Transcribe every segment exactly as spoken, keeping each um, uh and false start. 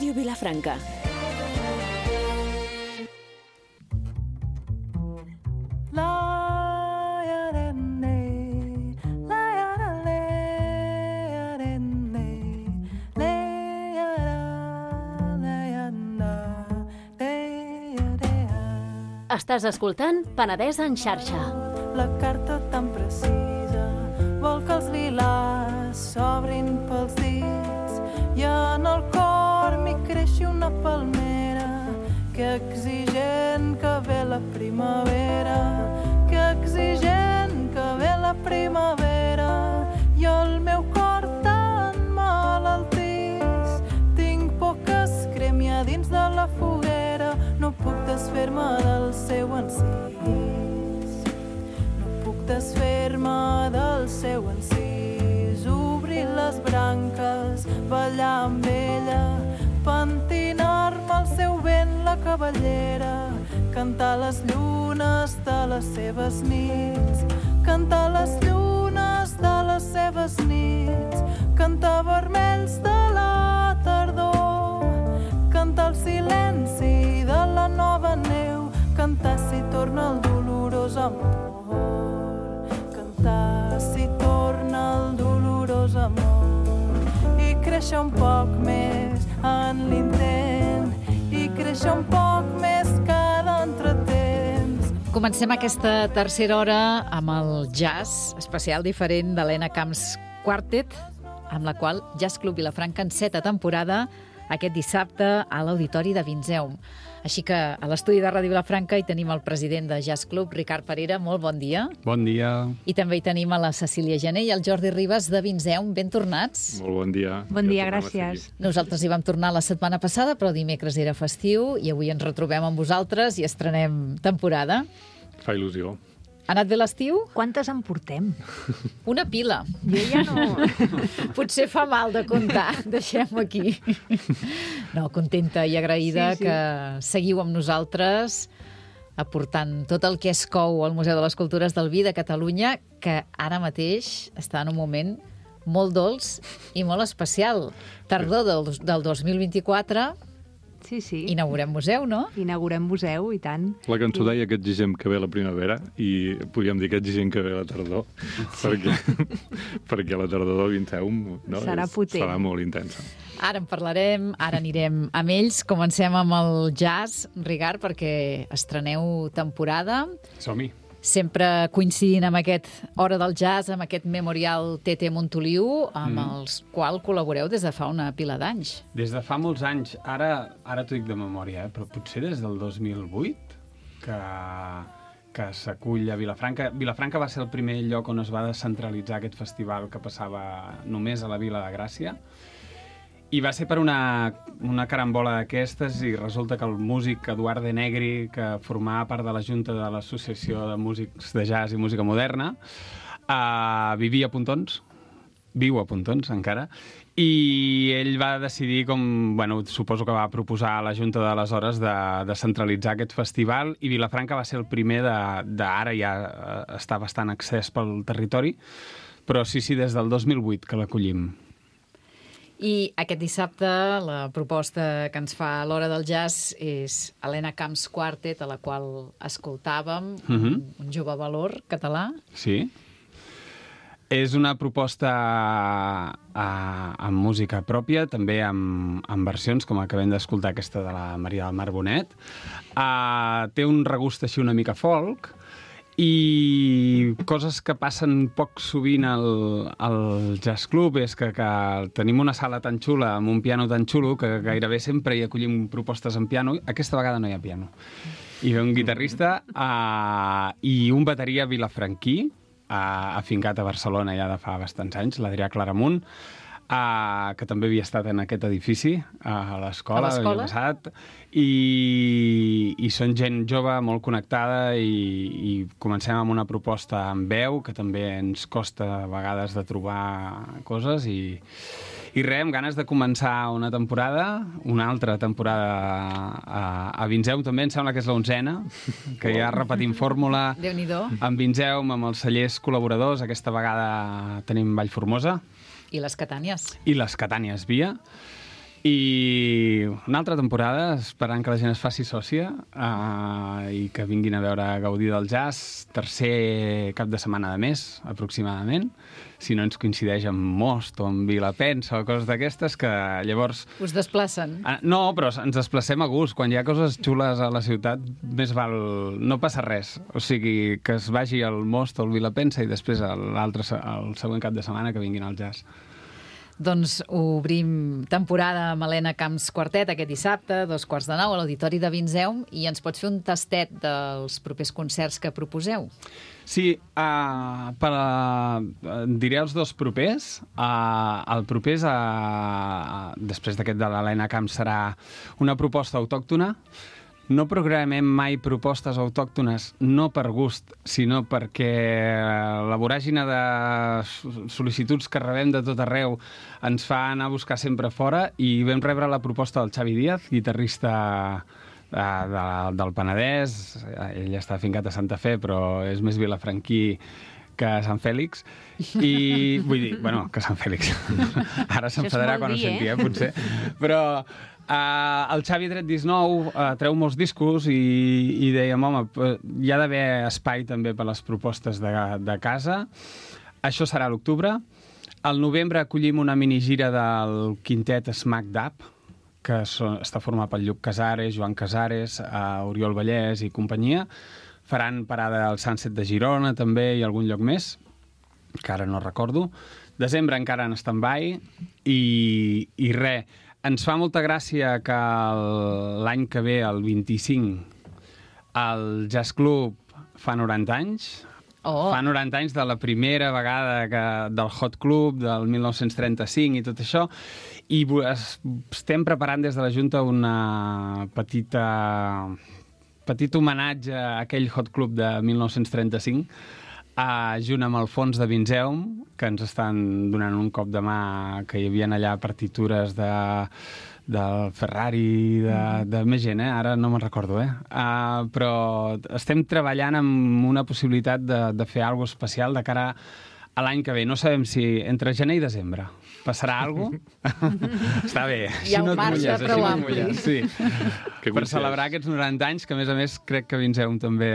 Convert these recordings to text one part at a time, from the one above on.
Ràdio Vilafranca. Estàs escoltant Penedès en xarxa. La carta tan precisa vol que els lilàs s'obrin pels dits i en el cor m'hi creixi una palmera que exigent que ve la primavera, que exigent que ve la primavera i el meu cor tan malaltís tinc por que es cremi a dins de la foguera. No puc desfer-me del seu encís, no puc desfer-me del seu encís, obrir les branques, ballar amb ella, pentinar-me al seu vent la cabellera, cantar les llunes de les seves nits, cantar les llunes de les seves nits, cantar vermells de la tardor, cantar el silenci de la nova neu, cantar si torna el dolorós amor, cantar si torna el dolorós amor, i créixer un poc més en l'intent, i créixer un poc més cada entretemps. Comencem aquesta tercera hora amb el jazz especial diferent d'Helena Camps Quartet, amb la qual Jazz Club Vilafranca enceta temporada aquest dissabte a l'Auditori de Vinzeum. Així que a l'estudi de Ràdio Vilafranca hi tenim el president de Jazz Club, Ricard Parera. Molt bon dia. Bon dia. I també hi tenim a la Cecília Gené i el Jordi Ribas de Vinzeum. Ben tornats. Molt bon dia. Bon dia, gràcies. Nosaltres hi vam tornar la setmana passada, però dimecres era festiu i avui ens retrobem amb vosaltres i estrenem temporada. Fa il·lusió. Ha anat bé l'estiu? Quantes en portem? Una pila. Jo ja no... Potser fa mal de comptar, deixem-ho aquí. No, contenta i agraïda sí, sí. que seguiu amb nosaltres aportant tot el que es cou al Museu de les Cultures del Vi de Catalunya, que ara mateix està en un moment molt dolç i molt especial. Tardor del, del dos mil vint-i-quatre... Sí, sí. Inaugurem museu, no? Inaugurem museu, i tant. La cançó deia que exigem que ve la primavera i podríem dir que exigem que ve la tardor, sí. perquè, perquè la tardor del Vinzeum no, serà potent. Serà molt intensa. Ara en parlarem, ara anirem amb ells. Comencem amb el jazz, Ricard, perquè estreneu temporada. Som-hi. Sempre coincidint amb aquest Hora del Jazz, amb aquest Memorial T T Montoliu, amb mm. els qual col·laboreu des de fa una pila d'anys. Des de fa molts anys. Ara, ara t'ho dic de memòria, eh? Però potser des del dos mil vuit que, que s'acull a Vilafranca. Vilafranca va ser el primer lloc on es va descentralitzar aquest festival que passava només a la Vila de Gràcia. I va ser per una, una carambola d'aquestes i resulta que el músic Eduard de Negri, que formava part de la Junta de l'Associació de Músics de Jazz i Música Moderna, uh, vivia a Pontons, viu a Pontons encara, i ell va decidir, com, bueno, suposo que va proposar a la Junta d'aleshores de, de centralitzar aquest festival, i Vilafranca va ser el primer de, de ara ja està bastant accés pel territori, però sí, sí, des del dos mil vuit que l'acollim. I aquest dissabte la proposta que ens fa l'Hora del Jazz és Helena Camps Quartet, a la qual escoltàvem, uh-huh. un, un jove valor català. Sí. És una proposta a, amb música pròpia, també amb, amb versions, com acabem d'escoltar aquesta de la Maria del Mar Bonet. Uh, té un regust així una mica folk, i coses que passen poc sovint al, al Jazz Club és que, que tenim una sala tan xula amb un piano tan xulo que gairebé sempre hi acollim propostes en piano. Aquesta vegada no hi ha piano. Hi ve un guitarrista uh, i un bateria vilafranquí uh, afincat a Barcelona ja de fa bastants anys, l'Adrià Claramunt, Uh, que també havia estat en aquest edifici, uh, a l'escola, l'havia passat, i, i són gent jove, molt connectada, i, i comencem amb una proposta en veu, que també ens costa a vegades de trobar coses, i, i res, amb ganes de començar una temporada, una altra temporada a, a Vinzeum, també em sembla que és l'onzena, que ja repetim fórmula amb Vinzeum, amb els cellers col·laboradors, aquesta vegada tenim Vallformosa, i les Catànies. I les Catànies Via. I una altra temporada, esperant que la gent es faci sòcia uh, i que vinguin a veure a gaudir del jazz, tercer cap de setmana de mes, aproximadament, si no ens coincideix amb Most o amb Vilapensa o coses d'aquestes, que llavors... Us desplacen? Uh, no, però ens desplacem a gust. Quan hi ha coses xules a la ciutat, més val... no passa res. O sigui, que es vagi al Most o al Vilapensa i després l'altre, el següent cap de setmana que vinguin al jazz. Doncs obrim temporada amb Helena Camps Quartet aquest dissabte, dos quarts de nou, a l'Auditori de Vinzeum, i ens pots fer un tastet dels propers concerts que proposeu? Sí, uh, per, uh, diré els dos propers. Uh, el proper, és, uh, després d'aquest de l'Helena Camps, serà una proposta autòctona. No programem mai propostes autòctones, no per gust, sinó perquè la voràgina de sol·licituds que rebem de tot arreu ens fa anar a buscar sempre fora, i vam rebre la proposta del Xavi Díaz, guitarrista de, de, del Penedès. Ell està afincat a Santa Fe, però és més vilafranquí que Sant Fèlix. I vull dir, bueno, que Sant Fèlix. Ara s'enfadarà quan ho senti, eh, potser. Però... Uh, el Xavi ha tret disc nou, uh, treu molts discos i, i dèiem, home, hi ha d'haver espai també per les propostes de, de casa. Això serà a l'octubre. Al novembre acollim una minigira del quintet Smack Dab, que so, està format pel Lluc Casares, Joan Casares, uh, Oriol Vallès i companyia. Faran parada al Sunset de Girona també i algun lloc més, que ara no recordo. Desembre encara en stand-by i, i res. Ens fa molta gràcia que l'any que ve, el vint-i-cinc, el Jazz Club fa noranta anys. Oh. Fa noranta anys de la primera vegada que, del Hot Club, del mil nou-cents trenta-cinc i tot això. I es, estem preparant des de la Junta una petita, petit homenatge a aquell Hot Club de mil nou-cents trenta-cinc, Uh, junt amb el fons de Vinzeum, que ens estan donant un cop de mà, que hi havia allà partitures de, del Ferrari, de, de més gent, eh? Ara no me'n recordo, eh? Uh, però estem treballant amb una possibilitat de, de fer alguna especial de cara a l'any que ve. No sabem si entre gener i desembre passarà alguna cosa. Està bé. Hi ha un marge prou ampli. Sí. Per celebrar aquests noranta anys, que a més a més crec que Vinzeum també...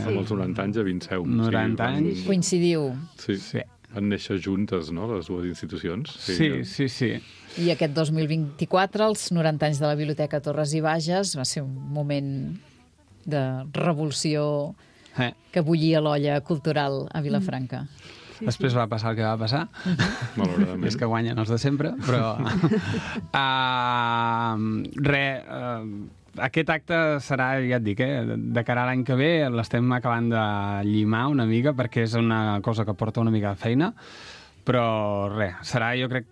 Sí. Amb els noranta anys a Vinzeum. noranta sí, anys. Van... Coincidiu. Sí. Sí. Van néixer juntes, no?, les dues institucions. Sí, sí, sí. sí. I aquest dos mil vint-i-quatre, els noranta anys de la Biblioteca Torres i Bages, va ser un moment de revolució eh. que bullia l'olla cultural a Vilafranca. Sí, Després sí. va passar el que va passar. Malauradament. És que guanyen els de sempre, però... uh, re, uh, aquest acte serà, ja et dic, eh, de cara a l'any que ve, l'estem acabant de llimar una mica, perquè és una cosa que porta una mica de feina, però res, serà, jo crec...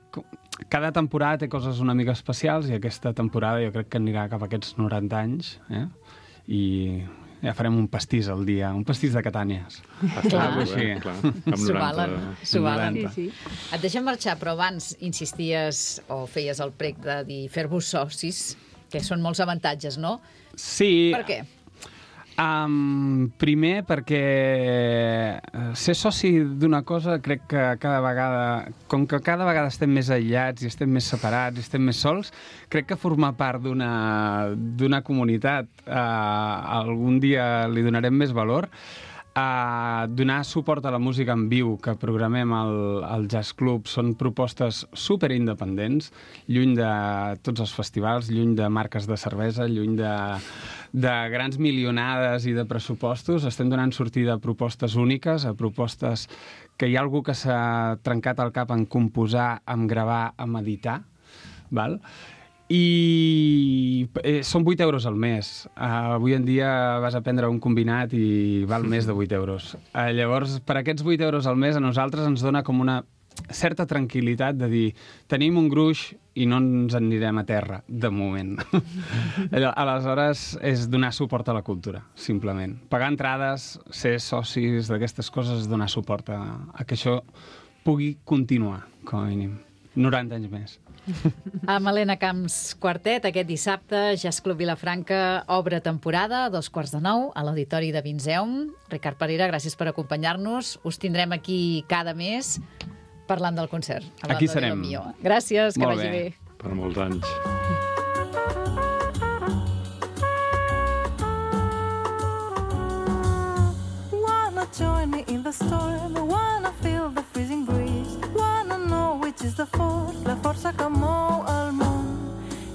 Cada temporada té coses una mica especials, i aquesta temporada jo crec que anirà cap a aquests noranta anys, eh? I... ja farem un pastís al dia, un pastís de Catànies. Clar. Així. Clar. Amb S'ho noranta... valen, s'ho valen. Sí, sí. Et deixem marxar, però abans insisties o feies el prec de dir fer-vos socis, que són molts avantatges, no? Sí. Per què? Um, primer perquè ser soci d'una cosa crec que cada vegada, com que cada vegada estem més aïllats i estem més separats i estem més sols, crec que formar part d'una d'una comunitat uh, algun dia li donarem més valor. Uh, donar suport a la música en viu que programem al, al Jazz Club són propostes super independents, lluny de tots els festivals, lluny de marques de cervesa, lluny de, de grans milionades i de pressupostos. Estem donant sortida a propostes úniques, a propostes que hi ha algú que s'ha trencat el cap en composar, en gravar, en editar, val? I eh, són vuit euros al mes. Uh, avui en dia vas a prendre un combinat i val més de vuit euros. Uh, llavors, per aquests vuit euros al mes a nosaltres ens dona com una certa tranquil·litat de dir tenim un gruix i no ens en anirem a terra, de moment. Aleshores, és donar suport a la cultura, simplement. Pagar entrades, ser socis d'aquestes coses, donar suport a, a que això pugui continuar, com a mínim. noranta anys més. Amb Helena Camps Quartet, aquest dissabte, Jazz Club Vilafranca obre temporada, a dos quarts de nou, a l'Auditori de Vinzeum. Ricard Parera, gràcies per acompanyar-nos. Us tindrem aquí cada mes parlant del concert. Aquí serem. Gràcies, que Molt vagi bé. bé. per molts anys. Wanna join me in the storm, wanna feel the freezing breeze, wanna know which is the force, la força que mou el món.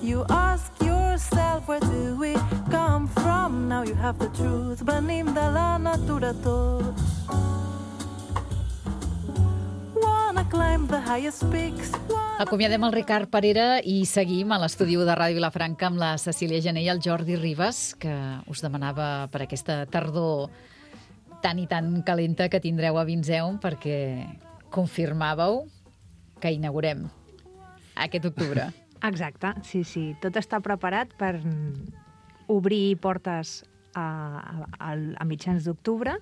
You ask yourself, where do we come from? Now you have the truth, venim de la natura tots. Wanna climb the highest peaks. Acomiadem el Ricard Parera i seguim a l'estudi de Ràdio Vilafranca amb la Cecília Gené i el Jordi Ribas, que us demanava per aquesta tardor tan i tan calenta que tindreu a Vinzeum, perquè confirmàveu que inaugurem aquest octubre. Exacte, sí, sí. Tot està preparat per obrir portes a, a, a mitjans d'octubre.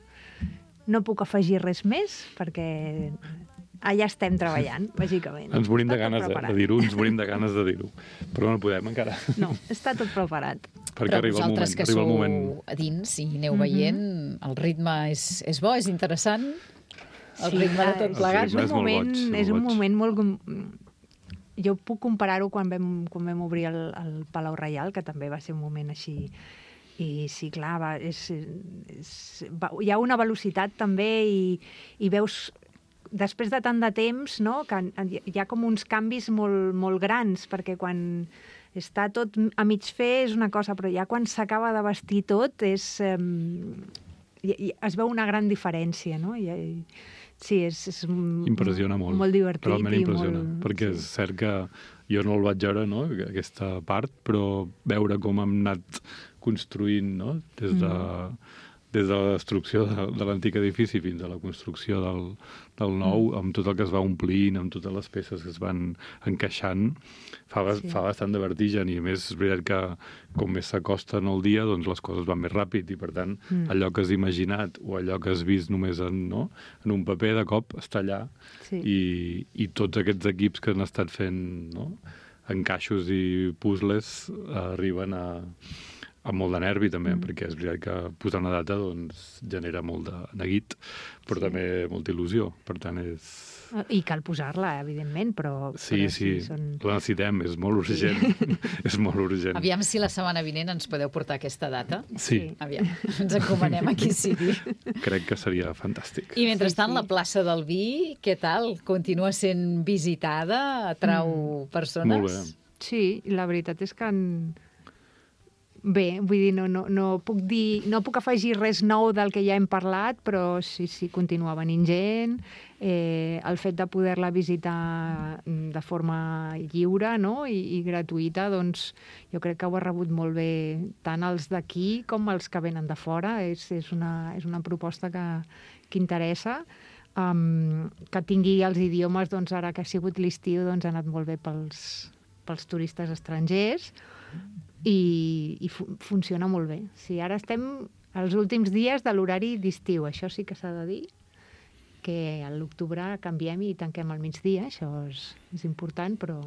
No puc afegir res més, perquè allà estem treballant, bàsicament. Ens morim de Està tot ganes de, preparat. de dir-ho, ens morim de ganes de dir-ho. Però no podem encara. No, està tot preparat. Perquè Però arriba el moment. vosaltres que Arriba el sou moment. a dins i aneu veient, el ritme és, és bo, és interessant, el ritme de tot és- plegat. És ritme un és molt moment, boig, molt és un boig. moment molt... Jo puc comparar-ho quan vam, quan vam obrir el, el Palau Reial, que també va ser un moment així. I sí, clar, va, és, és, va, hi ha una velocitat també i, i veus, després de tant de temps, no, que hi ha com uns canvis molt, molt grans, perquè quan està tot a mig fer és una cosa, però ja quan s'acaba de vestir tot és, eh, i, i es veu una gran diferència, no? I, i, sí, és, és Impressiona molt. molt divertit. Realment i impressiona. molt, perquè és cert que jo no el vaig veure, no?, aquesta part, però veure com hem anat construint, no?, des de, des de la destrucció de, de l'antic edifici fins a la construcció del, del nou, amb tot el que es va omplint, amb totes les peces que es van encaixant, fa, bas- Sí. fa bastant de vertigen, i a més és veritat que com més s'acosta en el dia, doncs les coses van més ràpid, i per tant Mm. allò que has imaginat o allò que has vist només en, no, en un paper, de cop està allà, Sí. i, i tots aquests equips que han estat fent, no, encaixos i puzzles eh, arriben a, amb molt de nervi també, mm. perquè és veritat que posar una data doncs, genera molt de neguit, però Sí. també molta il·lusió. Per tant, és... I cal posar-la, evidentment, però... Sí, però sí, són... la necessitem, és molt urgent. és molt urgent. Aviam si la setmana vinent ens podeu portar aquesta data. Sí, Sí. Aviam, ens encomanem a qui sigui. crec que seria fantàstic. I mentrestant, Sí, sí. la plaça del Vi, què tal? Continua sent visitada? Atrau mm. persones? Molt bé. Sí, la veritat és que... En... Bé, vull dir, no, no, no, puc dir, no puc afegir res nou del que ja hem parlat, però sí, sí, continua venint gent. Eh, el fet de poder-la visitar de forma lliure, no?, i, i gratuïta, doncs jo crec que ho ha rebut molt bé tant els d'aquí com els que venen de fora. És, és, una, és una proposta que, que interessa. Um, que tingui els idiomes, doncs ara que ha sigut l'estiu, doncs ha anat molt bé pels, pels turistes estrangers. I, i fu funciona molt bé. Sí, ara estem als últims dies de l'horari d'estiu, això sí que s'ha de dir, que a l'octubre canviem i tanquem al migdia, això és, és important, però,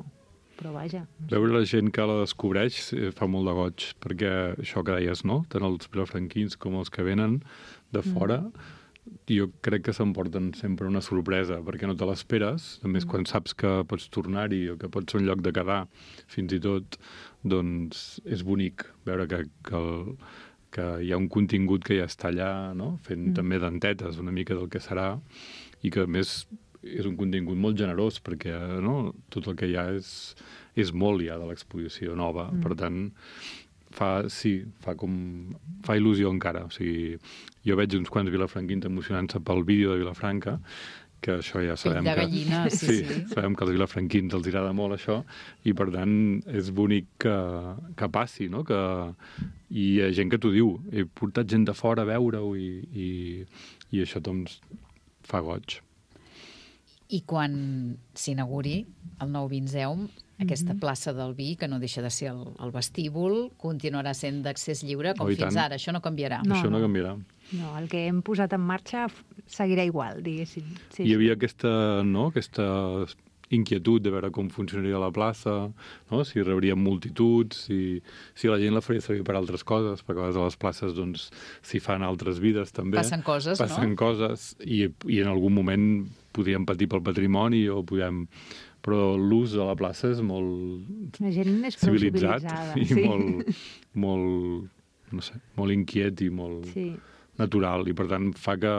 però vaja. Veure la gent que la descobreix eh, fa molt de goig, perquè això que deies, no?, tant els vilafranquins com els que venen de fora, mm. jo crec que s'emporten sempre una sorpresa, perquè no te l'esperes, a més mm. quan saps que pots tornar-hi o que pots ser un lloc de quedar, fins i tot, doncs és bonic veure que, que, el, que hi ha un contingut que ja està allà, no?, fent mm. també dentetes una mica del que serà, i que a més és un contingut molt generós, perquè no, tot el que hi ha és, és molt ja de l'exposició nova, mm. per tant fa, sí, fa com fa il·lusió encara, o sigui, jo veig uns quants vilafranquins emocionant-se pel vídeo de Vilafranca, que això ja sabem Pell de que... gallina, sí, sí, sí. sabem que als vilafranquins els agrada molt això, i per tant és bonic que, que passi, no?, que i hi ha gent que t'ho diu, he portat gent de fora a veure-ho, i, i, i això doncs fa goig. I quan s'inauguri el nou Vinzeum, aquesta Mhm. plaça del Vi, que no deixa de ser el, el vestíbul, continuarà sent d'accés lliure com Oh, i fins tant. ara. Això no canviarà. No, això no no. canviarà. No, el que hem posat en marxa f- seguirà igual, diguéssim. Sí, Hi havia aquesta, no?, aquesta inquietud de veure com funcionaria la plaça, no? Si rebríem multituds, si, si la gent la faria servir per altres coses, perquè a vegades a les places doncs, s'hi fan altres vides també. Passen coses, Passen no? coses, i, i en algun moment podríem patir pel patrimoni o podem... Però l'ús de la plaça és molt La gent és prou civilitzat civilitzada. i sí. molt, molt, no sé, molt inquiet i molt Sí. natural. I per tant fa que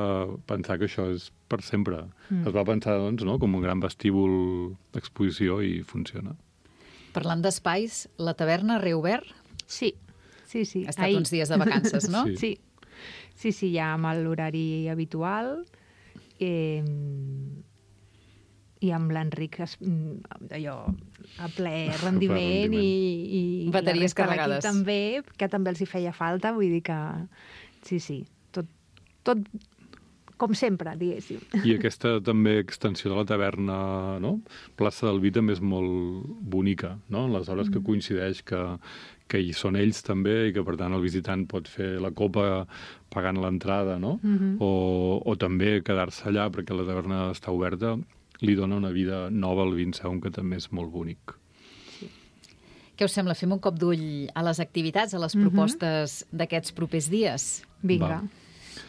pensar que això és per sempre. Mm. Es va pensar doncs, no? com un gran vestíbul d'exposició i funciona. Parlant d'espais, la taverna ha reobert? Sí, sí, sí. Ha estat Ahir. uns dies de vacances, no? Sí. Sí, sí, sí, ja amb l'horari habitual eh, i amb l'Enric es- allò a ple rendiment, rendiment. i, i Bateries la resta de l'equip carregades. també, que també els hi feia falta, vull dir que sí, sí, tot, tot com sempre, diguéssim. I aquesta també extensió de la taverna, no? Plaça del Vi també és molt bonica, no? En les hores que coincideix que, que hi són ells també i que per tant el visitant pot fer la copa pagant l'entrada, no? Mhm. o, o també quedar-se allà perquè la taverna està oberta, li dona una vida nova al Vinceum que també és molt bonic. Què us sembla? Fem un cop d'ull a les activitats, a les Mhm. propostes d'aquests propers dies? Vinga. Va.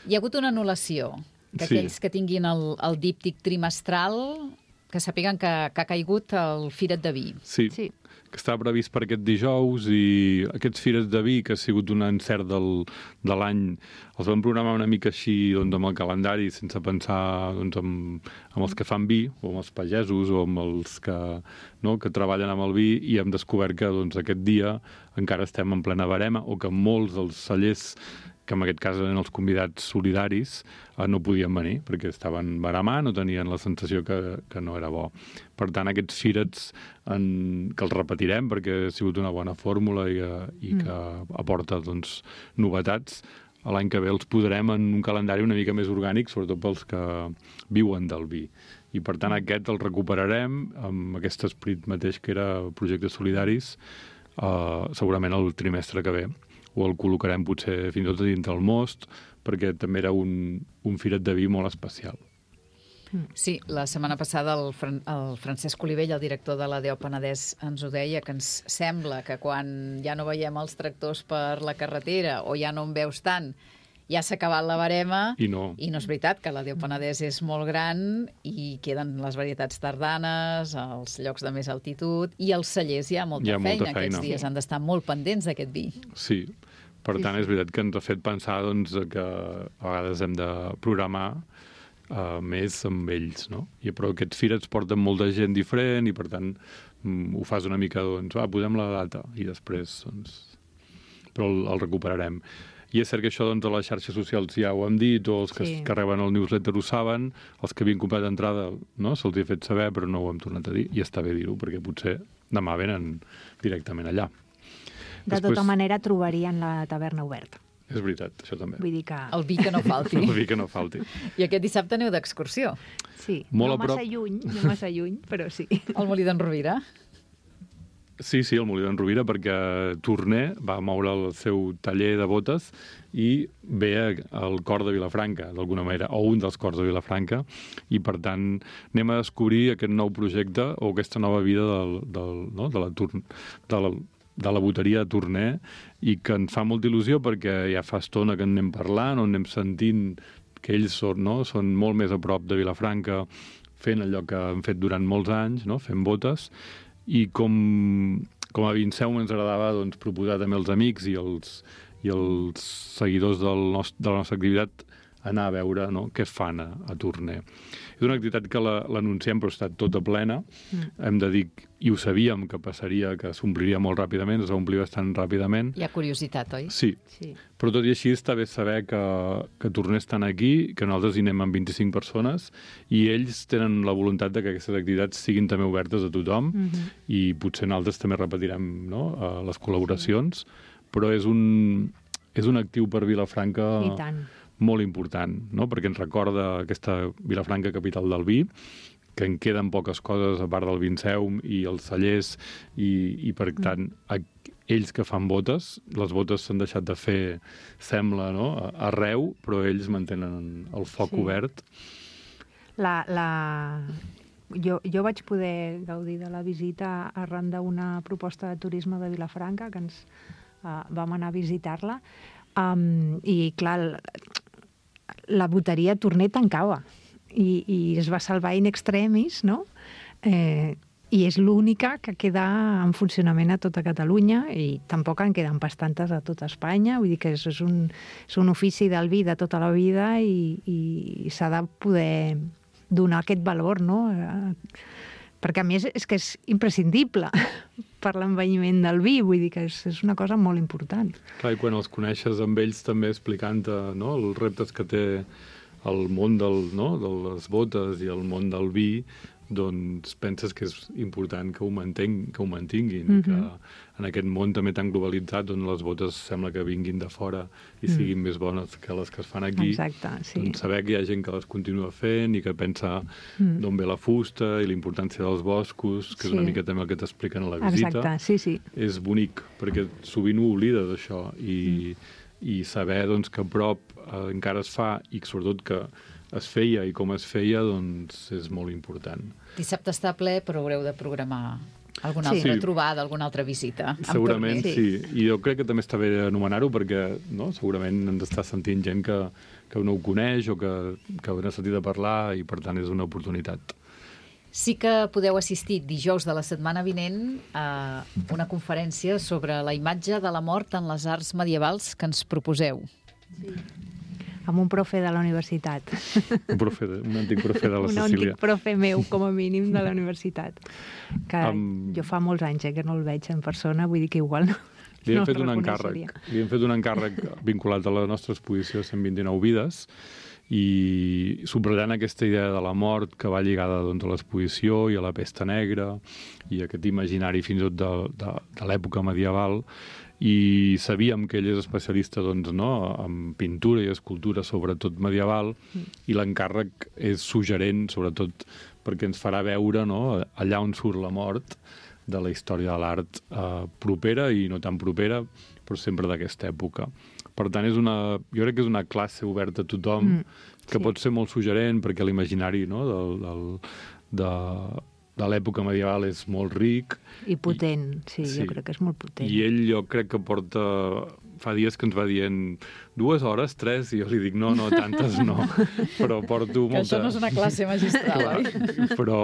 Hi ha hagut una anul·lació, que Sí. aquells que tinguin el, el díptic trimestral que sàpiguen que, que ha caigut el Firet de Vi. Sí, Sí. que està previst per aquest dijous i aquests Fires de Vi, que ha sigut un encert del, de l'any, els vam programar una mica així doncs, amb el calendari, sense pensar doncs, en, en els que fan vi, o amb els pagesos, o amb els que, no, que treballen amb el vi, i hem descobert que doncs, aquest dia encara estem en plena barema, o que molts dels cellers, que en aquest cas eren els convidats solidaris, eh, no podien venir, perquè estaven baramant, no tenien la sensació que, que no era bo. Per tant, aquests firets en, que els repetirem, perquè ha sigut una bona fórmula i, eh, i que aporta doncs, novetats, l'any que ve els posarem en un calendari una mica més orgànic, sobretot pels que viuen del vi. I per tant aquest el recuperarem amb aquest esperit mateix que era projectes solidaris, eh, segurament el trimestre que ve, o el col·locarem potser fins i tot dintre el most, perquè també era un, un firet de vi molt especial. Sí, la setmana passada el, Fran el Francesc Olivell, el director de l'A D O Penedès, ens ho deia, que ens sembla que quan ja no veiem els tractors per la carretera o ja no en veus tant, ja s'ha acabat la barema. I no. I no és veritat, que l'A D O Penedès és molt gran i queden les varietats tardanes, els llocs de més altitud, i els cellers hi ha molta Hi ha feina. molta feina. Aquests dies han d'estar molt pendents d'aquest vi. Sí, per tant és veritat que ens ha fet pensar doncs, que a vegades hem de programar uh, més amb ells, no? I, però aquests firets porten molta gent diferent i per tant mm, ho fas una mica, doncs, va, posem la data i després, doncs, però el, el recuperarem. I és cert que això doncs, a les xarxes socials ja ho hem dit, o els que, Sí. que reben el newsletter ho saben, els que havien comprat d'entrada no? se'ls ha fet saber, però no ho hem tornat a dir, i està bé dir-ho, perquè potser demà venen directament allà. De Després- tota manera trobarien la taverna oberta. És veritat, això també. Vull dir que... El vi que no falti. El vi que no falti. I aquest dissabte aneu d'excursió Sí, Molt no a prop. massa lluny, no massa lluny, però sí. al Molí d'en Rovira. Sí, sí, el Molí d'en Rovira, perquè Torner va moure el seu taller de botes i ve al cor de Vilafranca, d'alguna manera, o un dels cors de Vilafranca, i per tant anem a descobrir aquest nou projecte o aquesta nova vida del, del, no? de, la, Tor- de, la, de la boteria de Torner, i que ens fa molta il·lusió perquè ja fa estona que en anem parlant, o anem sentint que ells són, no? són molt més a prop de Vilafranca, fent allò que han fet durant molts anys, no? fent botes, i com, com a Vinceum ens agradava doncs, proposar també als amics i els, i els seguidors del nostre, de la nostra activitat anar a veure no? què fan a, a Torner. És una activitat que la- l'anunciem però ha estat tota plena. Mm. Hem de dir, i ho sabíem, que passaria, que s'ompliria molt ràpidament, es va omplir bastant ràpidament. Hi ha curiositat, oi? Sí, Sí. però tot i així està bé saber que, que Torner estan aquí, que nosaltres hi anem amb vint-i-cinc persones i ells tenen la voluntat de que aquestes activitats siguin també obertes a tothom Mm -hmm. i potser nosaltres també repetirem no, a les col·laboracions, però és un, és un actiu per Vilafranca I tant. molt important, no? perquè ens recorda aquesta Vilafranca capital del vi, que en queden poques coses a part del Vinceum i els cellers, i, i per tant, a, ells que fan botes, les botes s'han deixat de fer, sembla, no? a- arreu, però ells mantenen el foc Sí. obert. La, la, jo, jo vaig poder gaudir de la visita arran d'una proposta de turisme de Vilafranca, que ens uh, vam anar a visitar-la, um, i clar, la boteria Torner tancava, i, i es va salvar in extremis, no? Eh, i és l'única que queda en funcionament a tota Catalunya, i tampoc en queden bastantes a tota Espanya, vull dir que és, és, un, és un ofici del vi de tota la vida, i, i s'ha de poder donar aquest valor, no? Perquè a més és que és imprescindible per l'envelliment del vi, vull dir que és, és una cosa molt important. Clar, i quan els coneixes amb ells també explicant-te, no?, els reptes que té el món del, no?, de les botes i el món del vi, doncs penses que és important que ho, manteng, que ho mantinguin, mm-hmm. que en aquest món també tan globalitzat, on les botes sembla que vinguin de fora i mm. siguin més bones que les que es fan aquí. Exacte, sí. Doncs saber que hi ha gent que les continua fent i que pensa mm. d'on ve la fusta i la importància dels boscos, que sí. és una mica també el que t'expliquen a la visita. Exacte, sí, sí. És bonic, perquè sovint ho oblides, això, i, mm. i saber doncs, que a prop eh, encara es fa, i sobretot que es feia i com es feia, doncs és molt important. Dissabte està ple, però haureu de programar alguna sí. altra sí. trobada, alguna altra visita. Segurament sí. sí. I jo crec que també està bé anomenar-ho perquè no? segurament ens està sentint gent que, que no ho coneix o que, que n'ha sentit a parlar i per tant és una oportunitat. Sí que podeu assistir dijous de la setmana vinent a una conferència sobre la imatge de la mort en les arts medievals que ens proposeu. Sí. Amb un profe de la universitat. Un, profe de, un antic profe de la un Cecília. Un antic profe meu, com a mínim, de la universitat. Que um, jo fa molts anys eh, que no el veig en persona, vull dir que igual no. Li hem no fet un encàrrec. Li hem fet un encàrrec vinculat a la nostra exposició cent vint-i-nou vides i subratllant aquesta idea de la mort que va lligada doncs, a l'exposició i a la pesta negra i aquest imaginari fins i tot de, de, de l'època medieval. I sabíem que ell és especialista doncs, no, en pintura i escultura, sobretot medieval, mm. i l'encàrrec és suggerent, sobretot perquè ens farà veure no, allà on surt la mort de la història de l'art eh, propera i no tan propera, però sempre d'aquesta època. Per tant, és una, jo crec que és una classe oberta a tothom, mm. que sí. pot ser molt suggerent perquè l'imaginari no, del, del, de... de l'època medieval és molt ric. I potent, I, sí, sí, jo crec que és molt potent. I ell jo crec que porta... Fa dies que ens va dient dues hores, tres, i jo li dic no, no, tantes no. Però porto molta... Que això no és una classe magistral, oi? Però,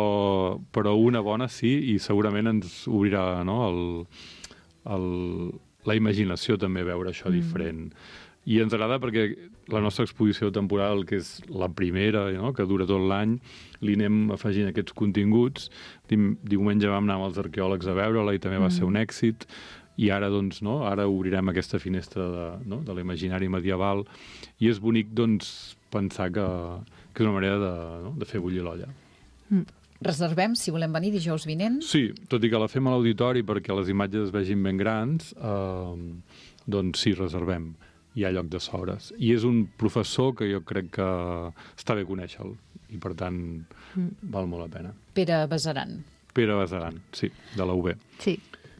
però una bona sí, i segurament ens obrirà no, el, el, la imaginació també veure això mm. diferent. I ens agrada perquè la nostra exposició temporal, que és la primera, no?, que dura tot l'any, li anem afegint aquests continguts. Diumenge vam anar amb els arqueòlegs a veure-la i també va ser un èxit. I ara, doncs, no?, ara obrirem aquesta finestra de, no?, de l'imaginari medieval. I és bonic, doncs, pensar que, que és una manera de, no?, de fer bullir l'olla. Mm. Reservem, si volem venir dijous vinent? Sí, tot i que la fem a l'auditori perquè les imatges es vegin ben grans, eh, doncs sí, reservem. Hi ha lloc de sobres. I és un professor que jo crec que està bé conèixer-lo i, per tant, mm. val molt la pena. Pere Besaran. Pere Besaran, sí, de la U B. Sí.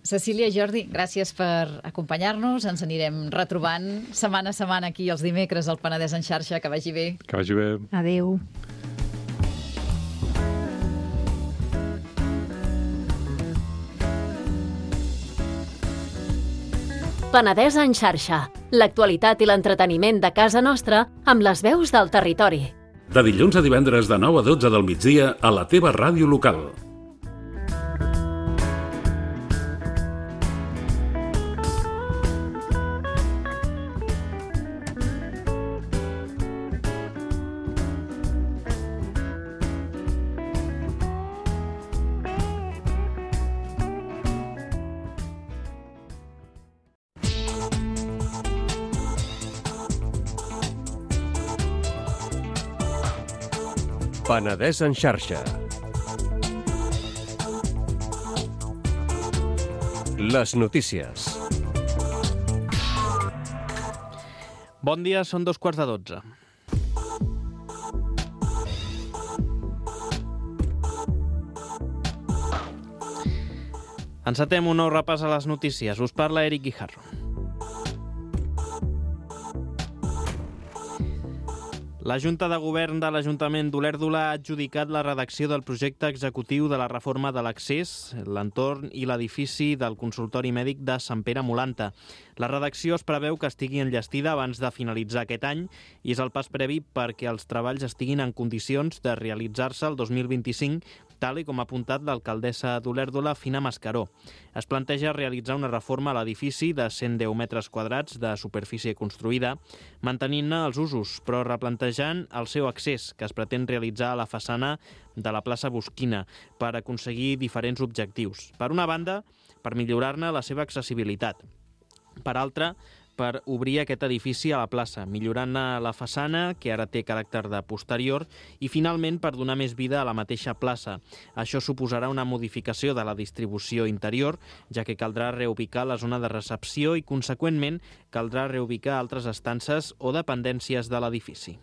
Cecília, Jordi, gràcies per acompanyar-nos. Ens anirem retrobant setmana a setmana aquí els dimecres al Penedès en xarxa. Que vagi bé. Que vagi bé. Adéu. Penedès en xarxa. L'actualitat i l'entreteniment de casa nostra amb les veus del territori. De dilluns a divendres de nou a dotze del migdia a la teva ràdio local. Penedès en xarxa. Les notícies. Bon dia, són dos quarts de dotze. Encetem un nou repàs a les notícies. Us parla Eric Guijarro. La Junta de Govern de l'Ajuntament d'Olèrdola ha adjudicat la redacció del projecte executiu de la reforma de l'accés, l'entorn i l'edifici del consultori mèdic de Sant Pere Molanta. La redacció es preveu que estigui enllestida abans de finalitzar aquest any i és el pas previ perquè els treballs estiguin en condicions de realitzar-se el dos mil vint-i-cinc, tal i com ha apuntat l'alcaldessa d'Olèrdola, Fina Mascaró. Es planteja realitzar una reforma a l'edifici de cent deu metres quadrats de superfície construïda, mantenint-ne els usos, però replantejant el seu accés, que es pretén realitzar a la façana de la plaça Bosquina, per aconseguir diferents objectius. Per una banda, per millorar-ne la seva accessibilitat. Per altra, per obrir aquest edifici a la plaça, millorant-ne la façana, que ara té caràcter de posterior, i finalment per donar més vida a la mateixa plaça. Això suposarà una modificació de la distribució interior, ja que caldrà reubicar la zona de recepció i, conseqüentment, caldrà reubicar altres estances o dependències de l'edifici.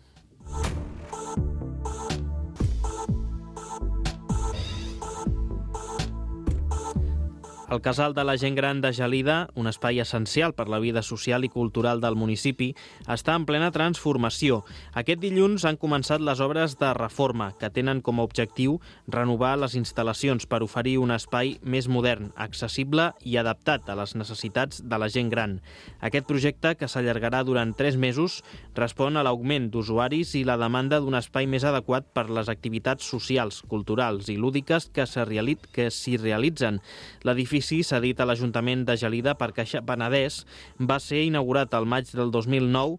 El Casal de la Gent Gran de Gelida, un espai essencial per la vida social i cultural del municipi, està en plena transformació. Aquest dilluns han començat les obres de reforma, que tenen com a objectiu renovar les instal·lacions per oferir un espai més modern, accessible i adaptat a les necessitats de la gent gran. Aquest projecte, que s'allargarà durant tres mesos, respon a l'augment d'usuaris i la demanda d'un espai més adequat per les activitats socials, culturals i lúdiques que s'hi realitzen. L'edifici L'edifici, cedit a l'Ajuntament de Gelida per Caixa Penedès, va ser inaugurat al maig del dos mil nou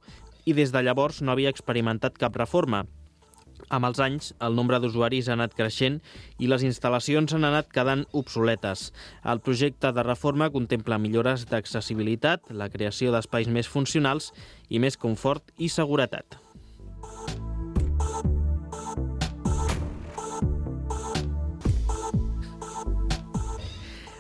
i des de llavors no havia experimentat cap reforma. Amb els anys, el nombre d'usuaris ha anat creixent i les instal·lacions han anat quedant obsoletes. El projecte de reforma contempla millores d'accessibilitat, la creació d'espais més funcionals i més confort i seguretat.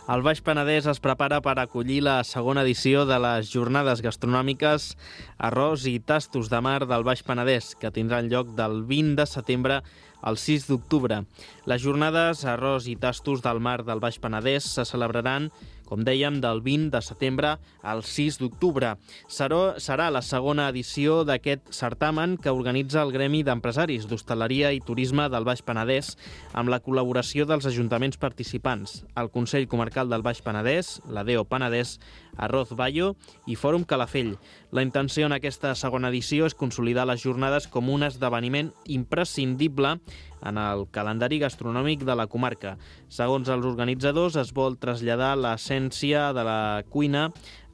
El Baix Penedès es prepara per acollir la segona edició de les jornades gastronòmiques Arròs i Tastos de Mar del Baix Penedès, que tindran lloc del vint de setembre al sis d'octubre. Les jornades Arròs i Tastos del Mar del Baix Penedès se celebraran, com dèiem, del vint de setembre al sis d'octubre. Serà la segona edició d'aquest certamen que organitza el Gremi d'Empresaris d'Hostaleria i Turisme del Baix Penedès amb la col·laboració dels ajuntaments participants, el Consell Comarcal del Baix Penedès, la D E O Penedès, Arroz Bayo i Fòrum Calafell. La intenció en aquesta segona edició és consolidar les jornades com un esdeveniment imprescindible en el calendari gastronòmic de la comarca. Segons els organitzadors, es vol traslladar l'essència de la cuina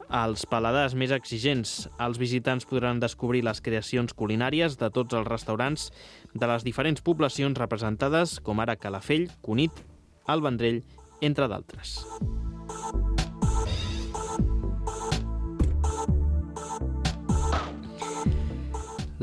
als paladars més exigents. Els visitants podran descobrir les creacions culinàries de tots els restaurants de les diferents poblacions representades, com ara Calafell, Cunit, el Vendrell, entre d'altres.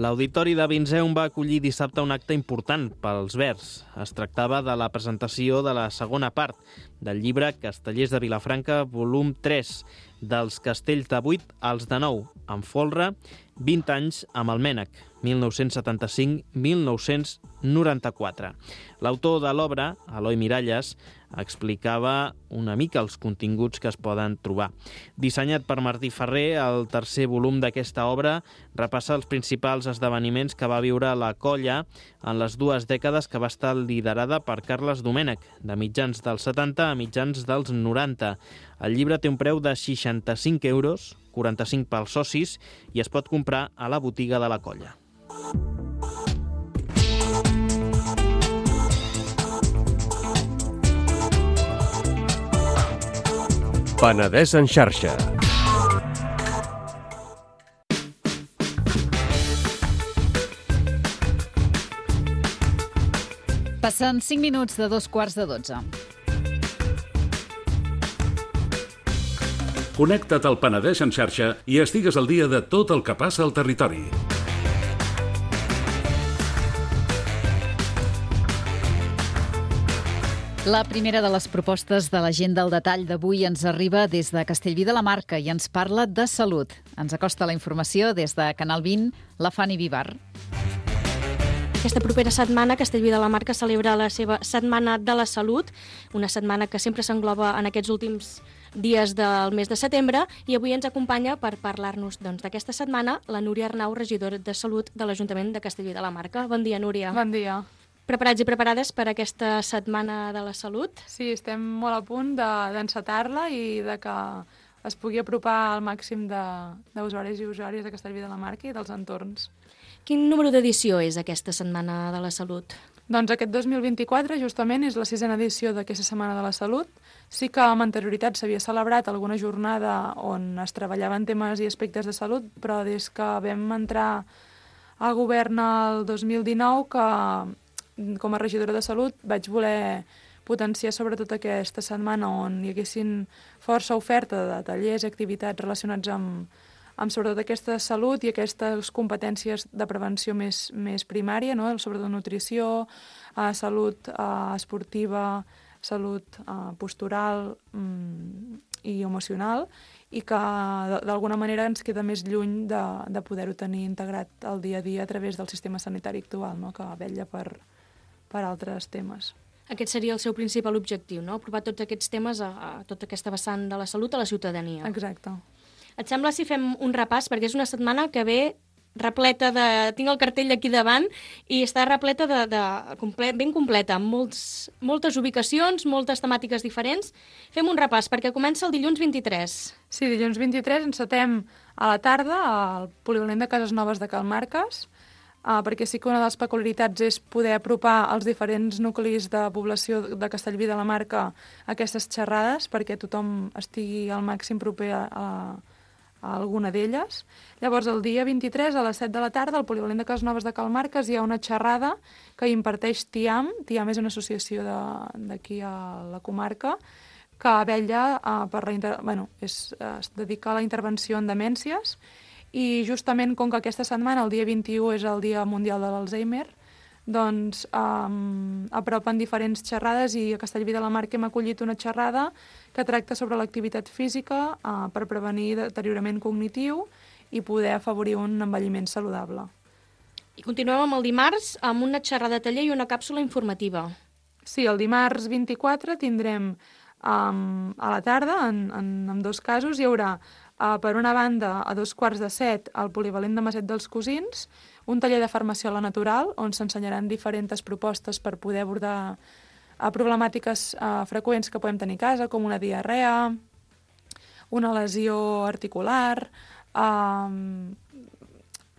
L'Auditori de Vinseum va acollir dissabte un acte important pels Verds. Es tractava de la presentació de la segona part del llibre Castellers de Vilafranca, volum tres, dels castells de vuit als de nou, amb folre, vint anys amb el Mènec, mil nou-cents setanta-cinc a mil nou-cents noranta-quatre. L'autor de l'obra, Eloi Miralles, explicava una mica els continguts que es poden trobar. Dissenyat per Martí Ferrer, el tercer volum d'aquesta obra repassa els principals esdeveniments que va viure la colla en les dues dècades que va estar liderada per Carles Domènech, de mitjans dels setanta a mitjans dels noranta. El llibre té un preu de seixanta-cinc euros, quaranta-cinc pels socis, i es pot comprar a la botiga de la colla. Penedès en xarxa. Passen cinc minuts de dos quarts de dotze. Connecta't al Penedès en xarxa i estigues al dia de tot el que passa al territori. La primera de les propostes de l'agenda al detall d'avui ens arriba des de Castellví de la Marca i ens parla de salut. Ens acosta la informació des de Canal vint, la Fanny Vivar. Aquesta propera setmana, Castellví de la Marca celebra la seva Setmana de la Salut, una setmana que sempre s'engloba en aquests últims dies del mes de setembre, i avui ens acompanya per parlar-nos doncs, d'aquesta setmana la Núria Arnau, regidora de Salut de l'Ajuntament de Castellví de la Marca. Bon dia, Núria. Bon dia. Preparats i preparades per aquesta setmana de la salut? Sí, estem molt a punt d'encetar-la de, i de que es pugui apropar al màxim d'usuaris i usuàries de Castellví de la Marca i dels entorns. Quin número d'edició és aquesta Setmana de la Salut? Doncs aquest dos mil vint-i-quatre justament és la sisena edició d'aquesta Setmana de la Salut. Sí que amb anterioritat s'havia celebrat alguna jornada on es treballaven temes i aspectes de salut, però des que vam entrar al govern el dos mil dinou, que com a regidora de Salut vaig voler potenciar sobretot aquesta setmana on hi haguessin força oferta de tallers i activitats relacionats amb, amb sobretot aquesta salut i aquestes competències de prevenció més, més primària, no? Sobretot nutrició, eh, salut eh, esportiva, salut eh, postural mm, i emocional, i que d'alguna manera ens queda més lluny de, de poder-ho tenir integrat al dia a dia a través del sistema sanitari actual, no? Que vetlla per, per altres temes. Aquest seria el seu principal objectiu, no? Aprovar tots aquests temes a, a tota aquesta vessant de la salut a la ciutadania. Exacte. Et sembla si fem un repàs? Perquè és una setmana que ve repleta de... Tinc el cartell aquí davant i està repleta de... de comple... ben completa, amb molts, moltes ubicacions, moltes temàtiques diferents. Fem un repàs, perquè comença el dilluns vint-i-tres. Sí, dilluns vint-i-tres encetem a la tarda al polivalent de Cases Noves de Cal Marques, Uh, perquè sí que una de les peculiaritats és poder apropar els diferents nuclis de població de Castellví de la Marca a aquestes xerrades, perquè tothom estigui al màxim proper a, a, a alguna d'elles. Llavors, el dia vint-i-tres, a les set de la tarda, al polivalent de Cases Noves de Cal Marques, hi ha una xerrada que imparteix TIAM. TIAM és una associació d'aquí a la comarca que vetlla uh, per la... Inter... Bueno, és, uh, es dedica a la intervenció en demències. I justament com que aquesta setmana, el dia vint-i-u, és el Dia Mundial de l'Alzheimer, doncs um, apropen diferents xerrades i a Castellví de la Marca hem acollit una xerrada que tracta sobre l'activitat física uh, per prevenir deteriorament cognitiu i poder afavorir un envelliment saludable. I continuem amb el dimarts amb una xerrada taller i una càpsula informativa. Sí, el dimarts vint-i-quatre tindrem um, a la tarda, en, en, en dos casos, hi haurà Uh, per una banda, a dos quarts de set, al polivalent de Maset dels Cosins, un taller de farmaciola natural, on s'ensenyaran diferents propostes per poder abordar uh, problemàtiques uh, freqüents que podem tenir a casa, com una diarrea, una lesió articular, uh,